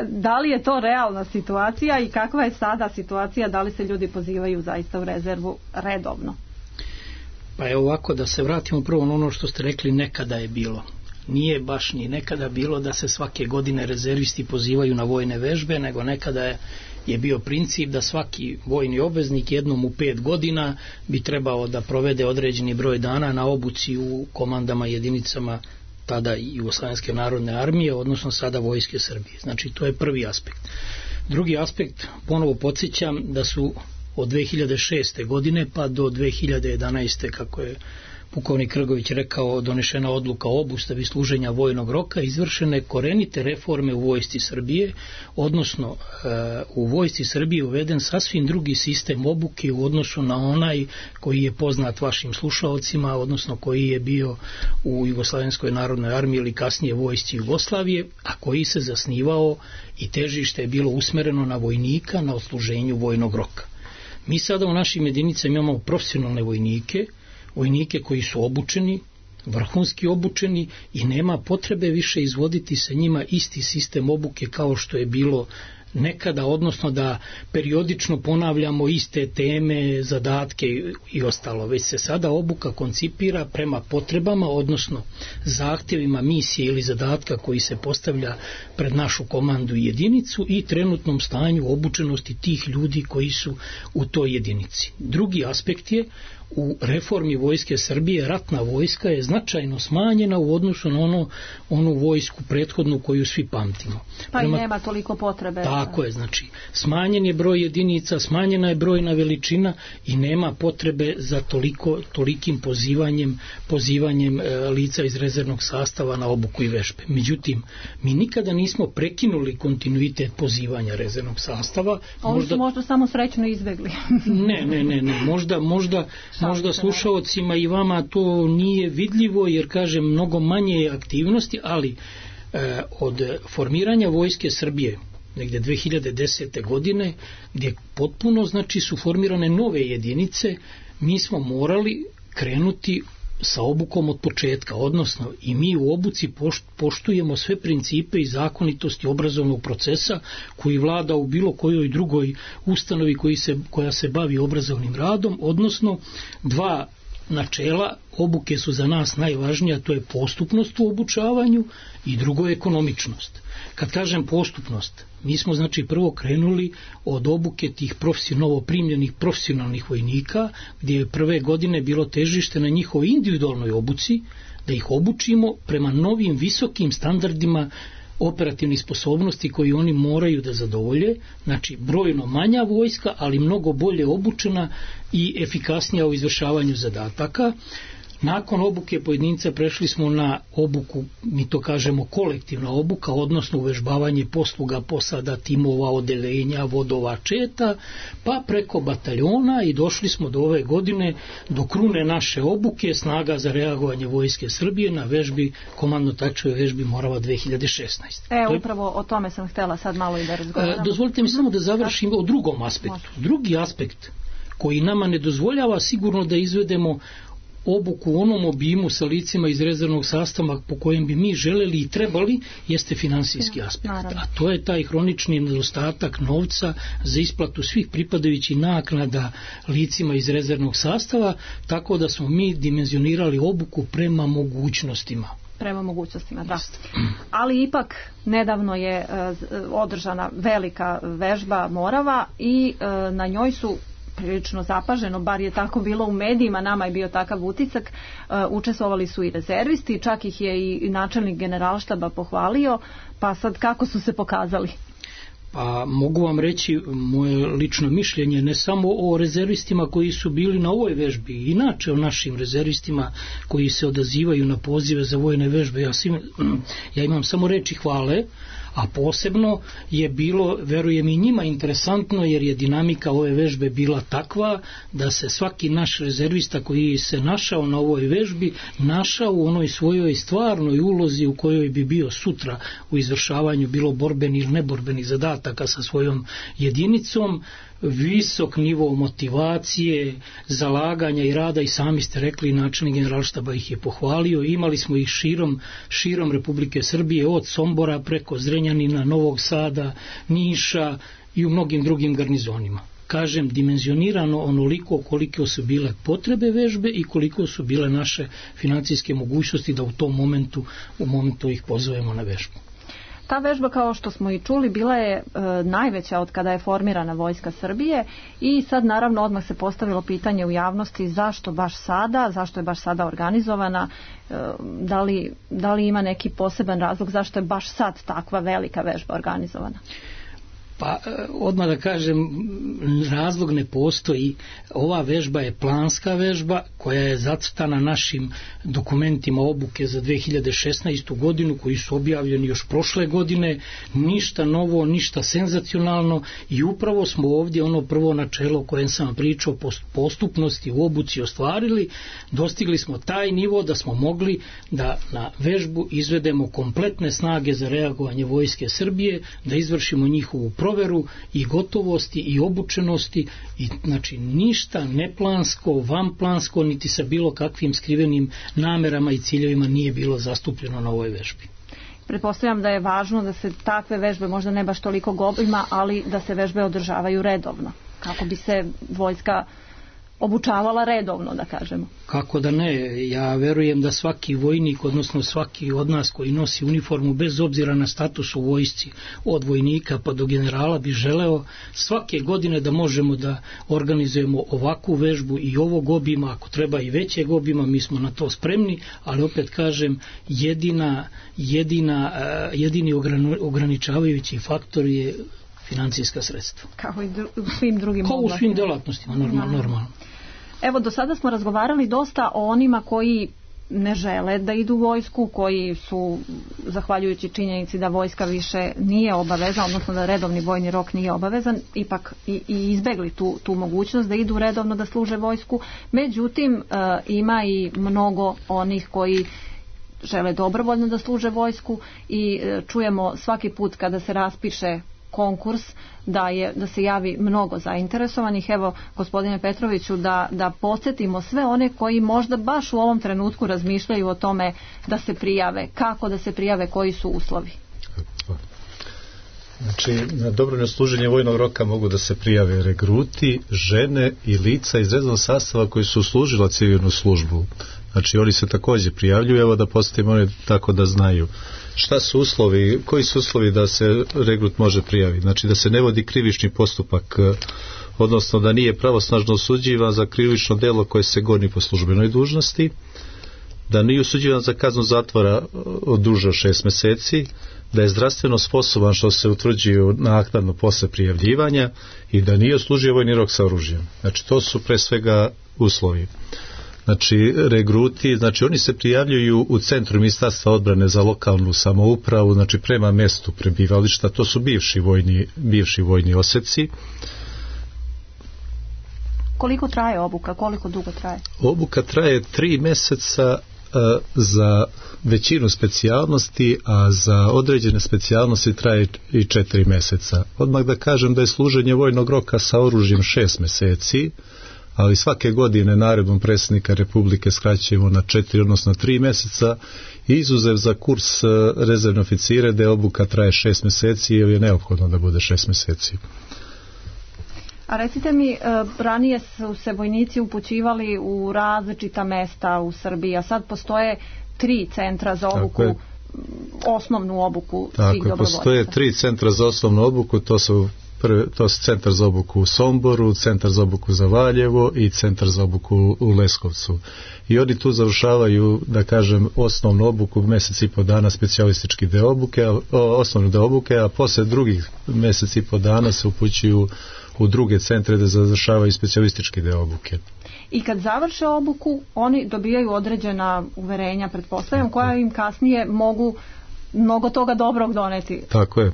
Da li je to realna situacija i kakva je sada situacija, da li se ljudi pozivaju zaista u rezervu redovno? Pa je ovako, da se vratimo prvo na ono što ste rekli, nekada je bilo. Nije baš ni nekada bilo da se svake godine rezervisti pozivaju na vojne vežbe, nego nekada je, je bio princip da svaki vojni obveznik jednom u pet godina bi trebao da provede određeni broj dana na obuci u komandama, jedinicama tada i Jugoslovenske narodne armije, odnosno sada Vojske Srbije. Znači, to je prvi aspekt. Drugi aspekt, ponovo podsjećam da su od dve hiljade šeste. godine pa do dve hiljade jedanaeste. kako je pukovnik Krgović rekao, donešena odluka o obustavi služenja vojnog roka, izvršene korenite reforme u Vojsci Srbije, odnosno u Vojsci Srbije uveden sasvim drugi sistem obuke u odnosu na onaj koji je poznat vašim slušaocima, odnosno koji je bio u Jugoslovenskoj narodnoj armiji ili kasnije Vojsci Jugoslavije, a koji se zasnivao i težište je bilo usmereno na vojnika na odsluženju vojnog roka. Mi sada u našim jedinicama imamo profesionalne vojnike, vojnike koji su obučeni, vrhunski obučeni i nema potrebe više izvoditi sa njima isti sistem obuke kao što je bilo nekada, odnosno da periodično ponavljamo iste teme, zadatke i ostalo. Već se sada obuka koncipira prema potrebama, odnosno zahtjevima misije ili zadatka koji se postavlja pred našu komandu i jedinicu i trenutnom stanju obučenosti tih ljudi koji su u toj jedinici. Drugi aspekt je, u reformi Vojske Srbije ratna vojska je značajno smanjena u odnosu na ono, onu vojsku prethodnu koju svi pamtimo. Pa Prema, i nema toliko potrebe. Tako je, znači smanjen je broj jedinica, smanjena je brojna veličina i nema potrebe za toliko, tolikim pozivanjem, pozivanjem e, lica iz rezervnog sastava na obuku i vežbe. Međutim, mi nikada nismo prekinuli kontinuitet pozivanja rezervnog sastava. Oni možda, su možda samo srećno izbegli. ne, ne, ne, ne, možda, možda Možda slušaocima i vama to nije vidljivo, jer kažem mnogo manje aktivnosti, ali e, od formiranja Vojske Srbije negdje dve hiljade desete. godine, gdje potpuno znači su formirane nove jedinice, mi smo morali krenuti sa obukom od početka, odnosno i mi u obuci poštujemo sve principe i zakonitosti obrazovnog procesa koji vlada u bilo kojoj drugoj ustanovi koji se, koja se bavi obrazovnim radom, odnosno dva načela obuke su za nas najvažnija, to je postupnost u obučavanju i drugo je ekonomičnost. Kad kažem postupnost, mi smo znači prvo krenuli od obuke tih novo primljenih profesionalnih vojnika, gdje je prve godine bilo težište na njihovoj individualnoj obuci, da ih obučimo prema novim visokim standardima operativnih sposobnosti koji oni moraju da zadovolje, znači brojno manja vojska, ali mnogo bolje obučena i efikasnija u izvršavanju zadataka. Nakon obuke pojedinca prešli smo na obuku, mi to kažemo kolektivna obuka, odnosno uvežbavanje posluga, posada, timova, odeljenja, vodova, četa, pa preko bataljona i došli smo do ove godine do krune naše obuke, snaga za reagovanje Vojske Srbije na vežbi, komandno-taktičkoj vežbi Morava dve hiljade šesnaeste. E, upravo o tome sam htjela sad malo i da razgovaramo. Dozvolite mi samo da završim o drugom aspektu. Drugi aspekt koji nama ne dozvoljava sigurno da izvedemo obuku u onom obimu sa licima iz rezervnog sastava po kojem bi mi želeli i trebali, jeste finansijski aspekt. A to je taj hronični nedostatak novca za isplatu svih pripadajućih naknada licima iz rezervnog sastava, tako da smo mi dimenzionirali obuku prema mogućnostima. Prema mogućnostima, da. Ali ipak nedavno je e, održana velika vežba Morava i e, na njoj su prilično zapaženo, bar je tako bilo u medijima, nama je bio takav utisak, e, učestvovali su i rezervisti, čak ih je i načelnik generalštaba pohvalio, pa sad kako su se pokazali? Pa mogu vam reći moje lično mišljenje ne samo o rezervistima koji su bili na ovoj vežbi, inače o našim rezervistima koji se odazivaju na pozive za vojne vežbe. Ja, svim, ja imam samo reči hvale, a posebno je bilo, verujem i njima, interesantno jer je dinamika ove vežbe bila takva da se svaki naš rezervista koji se našao na ovoj vežbi našao u onoj svojoj stvarnoj ulozi u kojoj bi bio sutra u izvršavanju bilo borbeni ili neborbenih zadataka sa svojom jedinicom. Visok nivo motivacije, zalaganja i rada, i sami ste rekli, načelnik generalštaba ih je pohvalio. Imali smo ih širom, širom Republike Srbije, od Sombora preko Zrenjanina, Novog Sada, Niša i u mnogim drugim garnizonima. Kažem, dimenzionirano onoliko koliko su bile potrebe vežbe i koliko su bile naše financijske mogućnosti da u tom momentu, u momentu ih pozovemo na vežbu. Ta vežba, kao što smo i čuli, bila je e, najveća od kada je formirana Vojska Srbije i sad naravno odmah se postavilo pitanje u javnosti zašto baš sada, zašto je baš sada organizovana, e, da li, da li ima neki poseban razlog zašto je baš sad takva velika vežba organizovana? Pa odmah da kažem, razlog ne postoji. Ova vežba je planska vežba koja je zacrtana našim dokumentima obuke za dve hiljade šesnaestu godinu koji su objavljeni još prošle godine. Ništa novo, ništa senzacionalno i upravo smo ovdje ono prvo načelo kojem sam pričao, postupnosti u obuci ostvarili. Dostigli smo taj nivo da smo mogli da na vežbu izvedemo kompletne snage za reagovanje Vojske Srbije, da izvršimo njihovu proveru i gotovosti i obučenosti i znači ništa neplansko, vanplansko niti sa bilo kakvim skrivenim namerama i ciljevima nije bilo zastupljeno na ovoj vežbi. Pretpostavljam da je važno da se takve vežbe, možda ne baš toliko obima, ali da se vežbe održavaju redovno, kako bi se vojska obučavala redovno, da kažemo. Kako da ne, ja verujem da svaki vojnik, odnosno svaki od nas koji nosi uniformu, bez obzira na status u vojsci, od vojnika pa do generala, bi želeo svake godine da možemo da organizujemo ovakvu vežbu i ovog obima, ako treba i većeg obima, mi smo na to spremni, ali opet kažem, jedina, jedina, jedini ograničavajući faktor je financijska sredstva. Kao i dru, u svim drugim Kao u svim delatnostima, normalno, normalno. Evo, do sada smo razgovarali dosta o onima koji ne žele da idu u vojsku, koji su, zahvaljujući činjenici da vojska više nije obavezna, odnosno da redovni vojni rok nije obavezan, ipak i, i izbegli tu, tu mogućnost da idu redovno da služe vojsku. Međutim, e, ima i mnogo onih koji žele dobrovoljno da služe vojsku i e, čujemo svaki put kada se raspiše konkurs da je da se javi mnogo zainteresovanih. Evo, gospodine Petroviću, da, da podsjetimo sve one koji možda baš u ovom trenutku razmišljaju o tome da se prijave, kako da se prijave, koji su uslovi. Znači, na dobrovoljno služenje vojnog roka mogu da se prijave regruti, žene i lica iz rezervnog sastava koji su služila civilnu službu. Znači, oni se također prijavljuju, evo da postavimo oni tako da znaju. Šta su uslovi, koji su uslovi da se regrut može prijaviti? Znači da se ne vodi krivični postupak, odnosno da nije pravosnažno osuđivan za krivično delo koje se goni po službenoj dužnosti, da nije osuđivan za kaznu zatvora od duže od šest mjeseci, da je zdravstveno sposoban što se utvrđuje naknadno posle prijavljivanja i da nije odslužio vojni rok sa oružjem. Znači to su pre svega uslovi. Znači regruti, znači oni se prijavljuju u centru Ministarstva odbrane za lokalnu samoupravu, znači prema mjestu prebivališta, to su bivši vojni, bivši vojni oseci. Koliko traje obuka, koliko dugo traje? Obuka traje tri mjeseca a, za većinu specijalnosti, a za određene specijalnosti traje i četiri mjeseca. Odmah da kažem da je služenje vojnog roka sa oružjem šest mjeseci, ali svake godine naredbom predsjednika Republike skraćujemo na četiri, odnosno tri mjeseca, izuzev za kurs rezervne oficire, gdje obuka traje šest mjeseci, jer je neophodno da bude šest mjeseci. A recite mi, ranije su se vojnici upućivali u različita mesta u Srbiji, a sad postoje tri centra za obuku, osnovnu obuku svih dobrovoljaca. Postoje tri centra za osnovnu obuku, to su Prvi, to su centar za obuku u Somboru, centar za obuku za Valjevo i centar za obuku u Leskovcu. I oni tu završavaju, da kažem, osnovnu obuku, mjesec i po dana specijalistički deo obuke, osnovnu deo obuke, a poslije drugih mjesec i po dana se upućuju u druge centre da završavaju specijalistički deo obuke. I kad završe obuku, oni dobijaju određena uverenja, pretpostavljam, koja im kasnije mogu mnogo toga dobrog doneti. Tako je.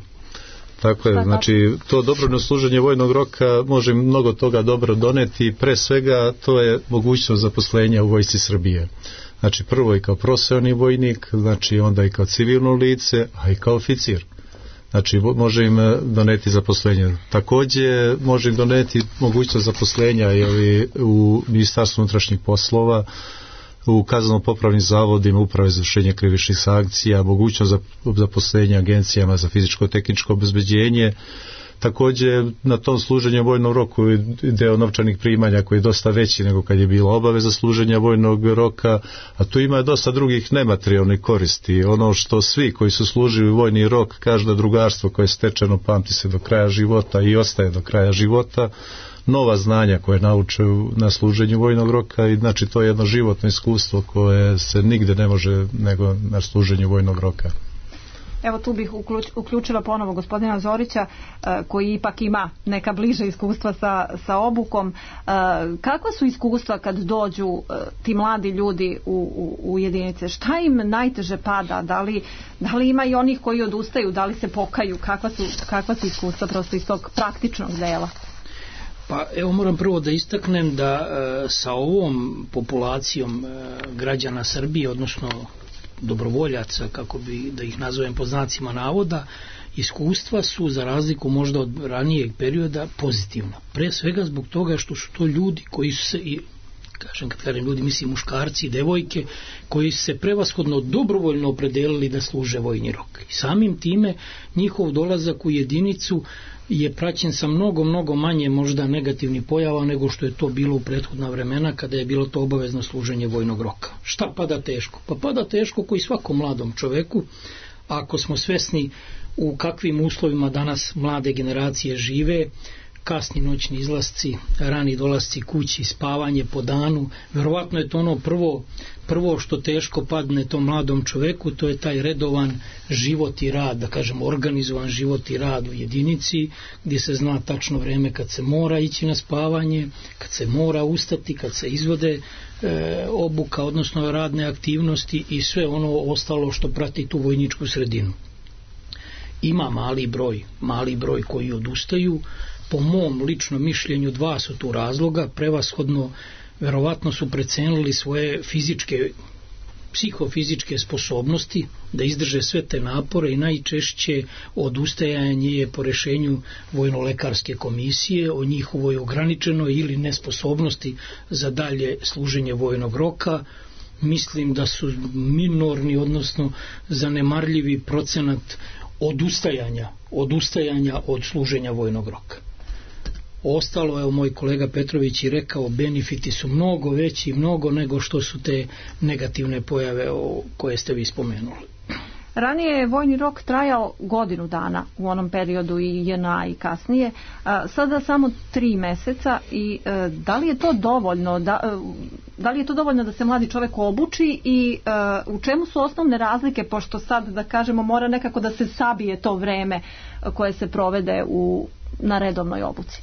Tako je, znači to dobrovoljno služenje vojnog roka može mnogo toga dobro doneti, pre svega to je mogućnost zaposlenja u vojsci Srbije. Znači prvo i kao profesionalni vojnik, znači onda i kao civilno lice, a i kao oficir. Znači može im doneti zaposlenje. Također može im doneti mogućnost zaposlenja jeli, u Ministarstvu unutrašnjih poslova, u kazneno-popravnim zavodima, uprave za izvršenje krivičnih sankcija, mogućnost zaposlenja agencijama za fizičko-tehničko obezbeđenje. Također na tom služenju vojnom roku deo novčanih primanja koji je dosta veći nego kad je bila obaveza služenja vojnog roka, a tu ima dosta drugih nematerijalnih koristi. Ono što svi koji su služili vojni rok kažu da drugarstvo koje je stečeno pamti se do kraja života i ostaje do kraja života, nova znanja koje nauče na služenju vojnog roka i znači to je jedno životno iskustvo koje se nigde ne može nego na služenju vojnog roka. Evo tu bih uključila ponovo gospodina Zorića koji ipak ima neka bliže iskustva sa, sa obukom. Kakva su iskustva kad dođu ti mladi ljudi u, u, u jedinice? Šta im najteže pada? Da li, da li ima i onih koji odustaju? Da li se pokaju? Kakva su, kakva su iskustva prosto iz tog praktičnog dela? Pa evo moram prvo da istaknem da e, sa ovom populacijom e, građana Srbije, odnosno dobrovoljaca, kako bi da ih nazovem po znacima navoda, iskustva su za razliku možda od ranijeg perioda pozitivna. Pre svega zbog toga što su to ljudi koji su se, i kažem kad kažem ljudi mislim muškarci i devojke, koji su se prevashodno dobrovoljno opredelili da služe vojni rok. I samim time njihov dolazak u jedinicu je praćen sa mnogo, mnogo manje možda negativnih pojava nego što je to bilo u prethodna vremena kada je bilo to obavezno služenje vojnog roka. Šta pada teško? Pa pada teško koji svakom mladom čoveku, ako smo svesni u kakvim uslovima danas mlade generacije žive, kasni noćni izlasci, rani dolasci kući, spavanje po danu, verovatno je to ono prvo, prvo što teško padne tom mladom čoveku, to je taj redovan život i rad, da kažem organizovan život i rad u jedinici, gdje se zna tačno vreme kad se mora ići na spavanje, kad se mora ustati, kad se izvode e, obuka, odnosno radne aktivnosti i sve ono ostalo što prati tu vojničku sredinu. Ima mali broj, mali broj koji odustaju. Po mom ličnom mišljenju dva su tu razloga, prevashodno verovatno su precenili svoje fizičke, psihofizičke sposobnosti da izdrže sve te napore i najčešće odustajanje je po rešenju vojno-lekarske komisije o njihovoj ograničenoj ili nesposobnosti za dalje služenje vojnog roka. Mislim da su minorni, odnosno zanemarljivi procenat odustajanja, odustajanja od služenja vojnog roka. Ostalo, evo moj kolega Petrović i rekao, benefiti su mnogo veći, mnogo nego što su te negativne pojave o koje ste vi spomenuli. Ranije je vojni rok trajao godinu dana u onom periodu i J N A i kasnije, a sada samo tri meseca i e, da li je to dovoljno da, e, da li je to dovoljno da se mladi čovjek obuči i e, u čemu su osnovne razlike, pošto sad da kažemo mora nekako da se sabije to vreme koje se provede u, na redovnoj obuci?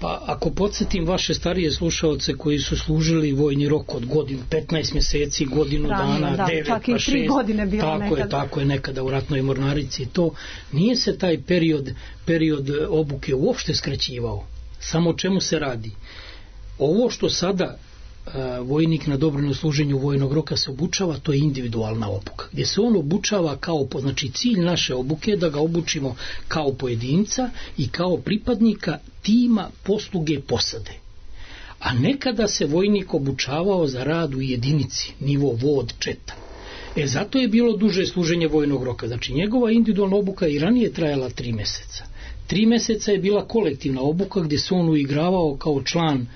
Pa ako podsjetim vaše starije slušaoce koji su služili vojni rok od godinu, petnaest mjeseci, godinu Ranije, dana, da, devet pa šest, godine bilo tako nekada. je, tako je nekada u ratnoj mornarici, to nije se taj period, period obuke uopšte skraćivao. Samo o čemu se radi? Ovo što sada vojnik na dobrovoljnom služenju vojnog roka se obučava, to je individualna obuka, gdje se on obučava kao, znači cilj naše obuke je da ga obučimo kao pojedinca i kao pripadnika tima posluge posade. a nekada se vojnik obučavao za rad u jedinici, nivo vod, četa. E, zato je bilo duže služenje vojnog roka. Znači, njegova individualna obuka i ranije trajala tri meseca. Tri meseca je bila kolektivna obuka gdje se on uigravao kao član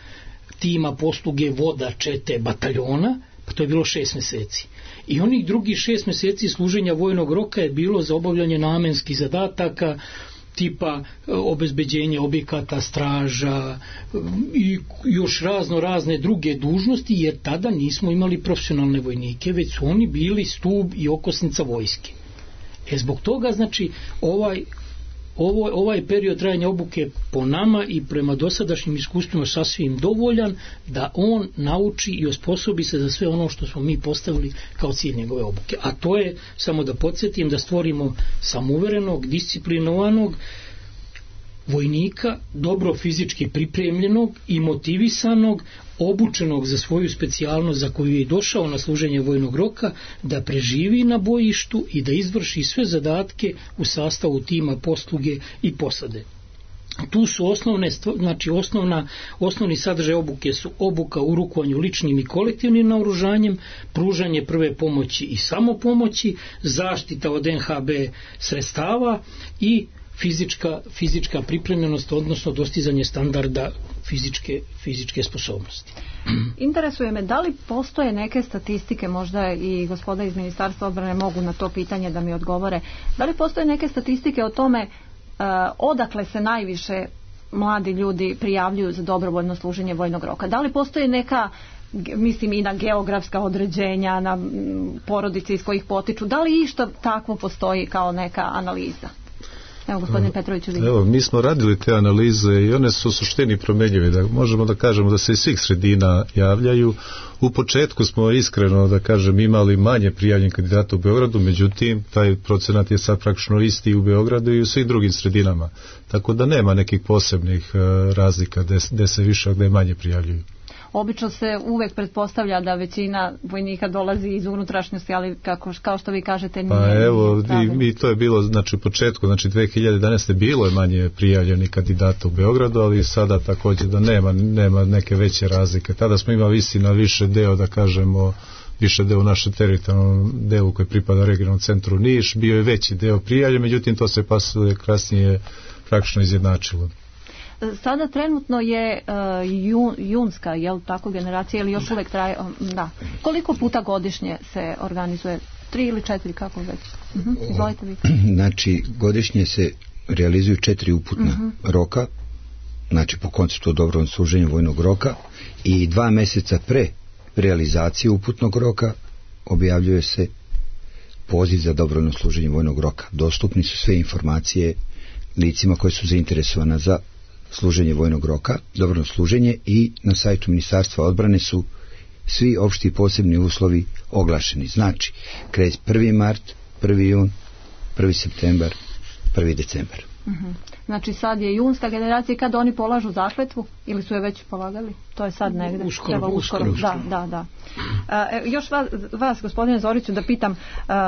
tima posluge voda, čete, bataljona, pa to je bilo šest meseci. I onih drugih šest meseci služenja vojnog roka je bilo za obavljanje namenskih zadataka, tipa obezbeđenje objekata, straža i još razno razne druge dužnosti, jer tada nismo imali profesionalne vojnike, već su oni bili stub i okosnica vojske. E, zbog toga, znači, ovaj Ovo, ovaj period trajanja obuke po nama i prema dosadašnjim iskustvima sasvim dovoljan da on nauči i osposobi se za sve ono što smo mi postavili kao cilj njegove obuke. A to je, samo da podsjetim, da stvorimo samouverenog, disciplinovanog vojnika, dobro fizički pripremljenog i motivisanog, obučenog za svoju specijalnost za koju je došao na služenje vojnog roka, da preživi na bojištu i da izvrši sve zadatke u sastavu tima posluge i posade. Tu su osnovne, znači osnovna, osnovni sadržaj obuke su obuka u rukovanju ličnim i kolektivnim naoružanjem, pružanje prve pomoći i samopomoći, zaštita od en ha be sredstava i fizička, fizička pripremljenost, odnosno dostizanje standarda fizičke, fizičke sposobnosti. Interesuje me, da li postoje neke statistike, možda i gospoda iz Ministarstva odbrane mogu na to pitanje da mi odgovore, da li postoje neke statistike o tome uh, odakle se najviše mladi ljudi prijavljuju za dobrovoljno služenje vojnog roka? Da li postoje neka, mislim i na geografska određenja, na porodice iz kojih potiču, da li išta takvo postoji kao neka analiza? Evo, gospodine Petroviću, vidim. Evo, mi smo radili te analize i one su u suštini promjenjive. Da možemo da kažemo da se iz svih sredina javljaju. U početku smo iskreno, da kažem, imali manje prijavljenih kandidata u Beogradu, međutim, taj procenat je sad praktično isti u Beogradu i u svih drugim sredinama. Tako da nema nekih posebnih razlika gde se više, gde manje prijavljuju. Obično se uvek pretpostavlja da većina vojnika dolazi iz unutrašnjosti, ali kako, kao što vi kažete nije. Pa evo, i, i to je bilo, znači u početku, znači dve hiljade jedanaeste. bilo je manje prijavljenih kandidata u Beogradu, ali sada također da nema, nema neke veće razlike. Tada smo imali istina više deo, da kažemo, više deo naše teritorijalnom delu koji pripada regionalnom centru Niš, bio je veći deo prijavljen, međutim to se pasuje kasnije praktično izjednačilo. Sada trenutno je uh, jun, junska, jel tako, generacija, ili još uvek traje, da. Koliko puta godišnje se organizuje? Tri ili četiri, kako već? Uh-huh. Izvolite vi. Znači, godišnje se realizuju četiri uputna uh-huh. roka, znači po konceptu dobrovoljnog služenja vojnog roka, i dva meseca pre realizacije uputnog roka objavljuje se poziv za dobrovoljno služenje vojnog roka. Dostupni su sve informacije licima koje su zainteresovana za služenje vojnog roka, dobrovoljno služenje, i na sajtu Ministarstva odbrane su svi opšti i posebni uslovi oglašeni. Znači, kreće prvi mart, prvi jun, prvi septembar, prvi decembar. Uh-huh. Znači sad je junska generacija, kad oni polažu zakletvu ili su je već polagali? To je sad negde. Uskoro, Treba uskoro. uskoro. Da, da, da. Uh, još vas, vas, gospodine Zoriću, da pitam, uh,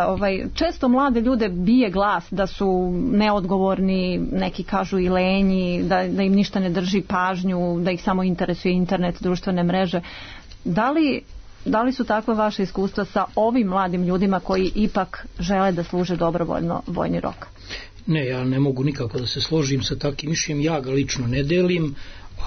ovaj, često mlade ljude bije glas da su neodgovorni, neki kažu i lenji, da, da im ništa ne drži pažnju, da ih samo interesuje internet, društvene mreže. Da li, da li su takva vaše iskustva sa ovim mladim ljudima koji ipak žele da služe dobrovoljno vojni rok? Ne, ja ne mogu nikako da se složim sa takvim mišljenjem, ja ga lično ne delim,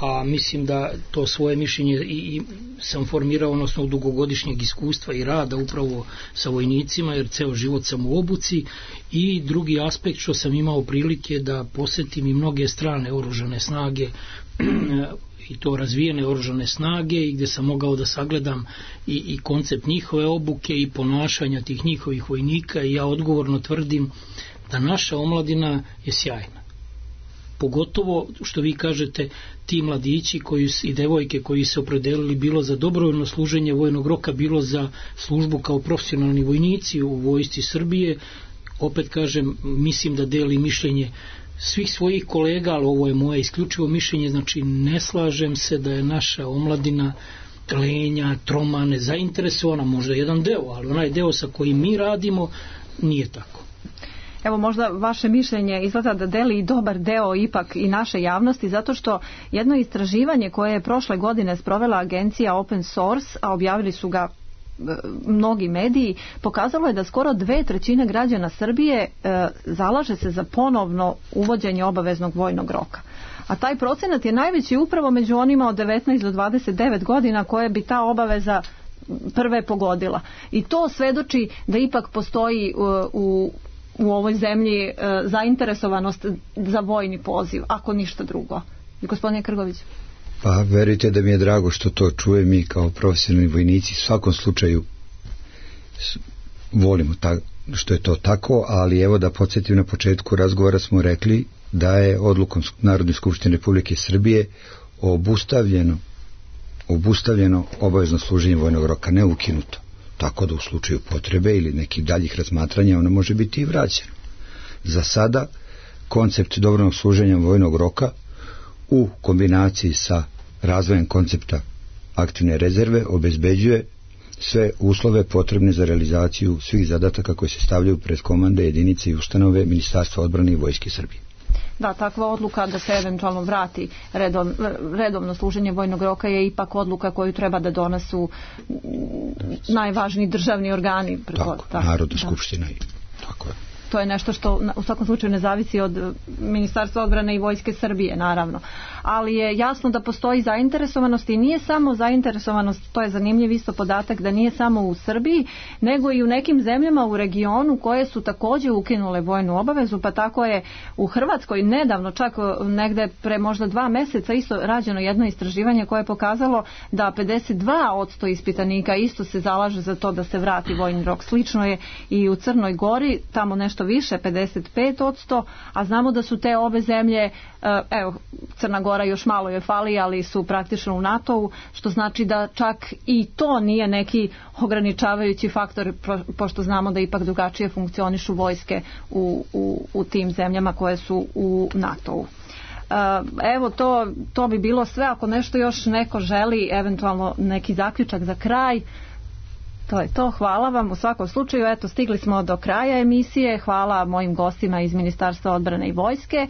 a mislim da to svoje mišljenje i, i sam formirao na osnovu dugogodišnjeg iskustva i rada upravo sa vojnicima, jer ceo život sam u obuci, i drugi aspekt što sam imao prilike da posetim i mnoge strane oružane snage i to razvijene oružane snage, i gdje sam mogao da sagledam i, i koncept njihove obuke i ponašanja tih njihovih vojnika, i ja odgovorno tvrdim da naša omladina je sjajna. Pogotovo što vi kažete, ti mladići koji, i devojke koji se opredelili bilo za dobrovoljno služenje vojnog roka, bilo za službu kao profesionalni vojnici u vojsci Srbije, opet kažem, mislim da deli mišljenje svih svojih kolega, ali ovo je moje isključivo mišljenje, znači ne slažem se da je naša omladina lenja, troma, nezainteresovana, možda jedan deo, ali onaj deo sa kojim mi radimo nije tako. Evo možda vaše mišljenje izgleda da deli i dobar deo ipak i naše javnosti, zato što jedno istraživanje koje je prošle godine sprovela agencija Open Source, a objavili su ga mnogi mediji, pokazalo je da skoro dve trećine građana Srbije e, zalaže se za ponovno uvođenje obaveznog vojnog roka. A taj procenat je najveći upravo među onima od devetnaest do dvadeset devet godina koje bi ta obaveza prve pogodila. I to svedoči da ipak postoji u, u, u ovoj zemlji e, zainteresovanost za vojni poziv, ako ništa drugo. Gospodine Krgović. Pa verujte da mi je drago što to čuje, mi kao profesionalni vojnici u svakom slučaju volimo ta, što je to tako, ali evo da podsjetim, na početku razgovora smo rekli da je odlukom Narodne skupštine Republike Srbije obustavljeno obustavljeno obavezno služenje vojnog roka, ne ukinuto, tako da u slučaju potrebe ili nekih daljih razmatranja ono može biti i vraćeno. Za sada koncept dobrovoljnog služenja vojnog roka u kombinaciji sa razvojem koncepta aktivne rezerve obezbeđuje sve uslove potrebne za realizaciju svih zadataka koji se stavljaju pred komande, jedinice i ustanove Ministarstva odbrane i Vojske Srbije. Da, takva odluka da se eventualno vrati redov, redovno služenje vojnog roka je ipak odluka koju treba da donesu najvažniji državni organi. Tako, tako Narodna skupština i tako je. To je nešto što u svakom slučaju ne zavisi od Ministarstva odbrane i Vojske Srbije, naravno. Ali je jasno da postoji zainteresovanost i nije samo zainteresovanost, to je zanimljiv isto podatak, da nije samo u Srbiji, nego i u nekim zemljama u regionu koje su također ukinule vojnu obavezu, pa tako je u Hrvatskoj nedavno, čak negde pre možda dva meseca, isto rađeno jedno istraživanje koje je pokazalo da pedeset dva posto ispitanika isto se zalaže za to da se vrati vojni rok. Slično je i u Crnoj Gori, tamo nešto više, pedeset pet posto, a znamo da su te obe zemlje, evo, Crna Gora još malo joj fali, ali su praktično u NATO-u, što znači da čak i to nije neki ograničavajući faktor, pošto znamo da ipak drugačije funkcionišu vojske u, u, u tim zemljama koje su u NATO-u. Evo, to, to bi bilo sve. Ako nešto još neko želi, eventualno neki zaključak za kraj, to je to. Hvala vam u svakom slučaju. Eto, stigli smo do kraja emisije. Hvala mojim gostima iz Ministarstva odbrane i Vojske.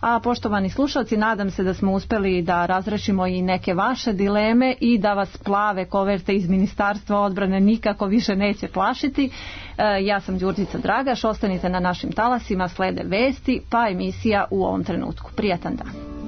A poštovani slušalci, nadam se da smo uspeli da razrešimo i neke vaše dileme i da vas plave koverte iz Ministarstva odbrane nikako više neće plašiti. E, ja sam Đurđica Dragaš, ostanite na našim talasima, slede vesti, pa emisija u ovom trenutku. Prijatan dan.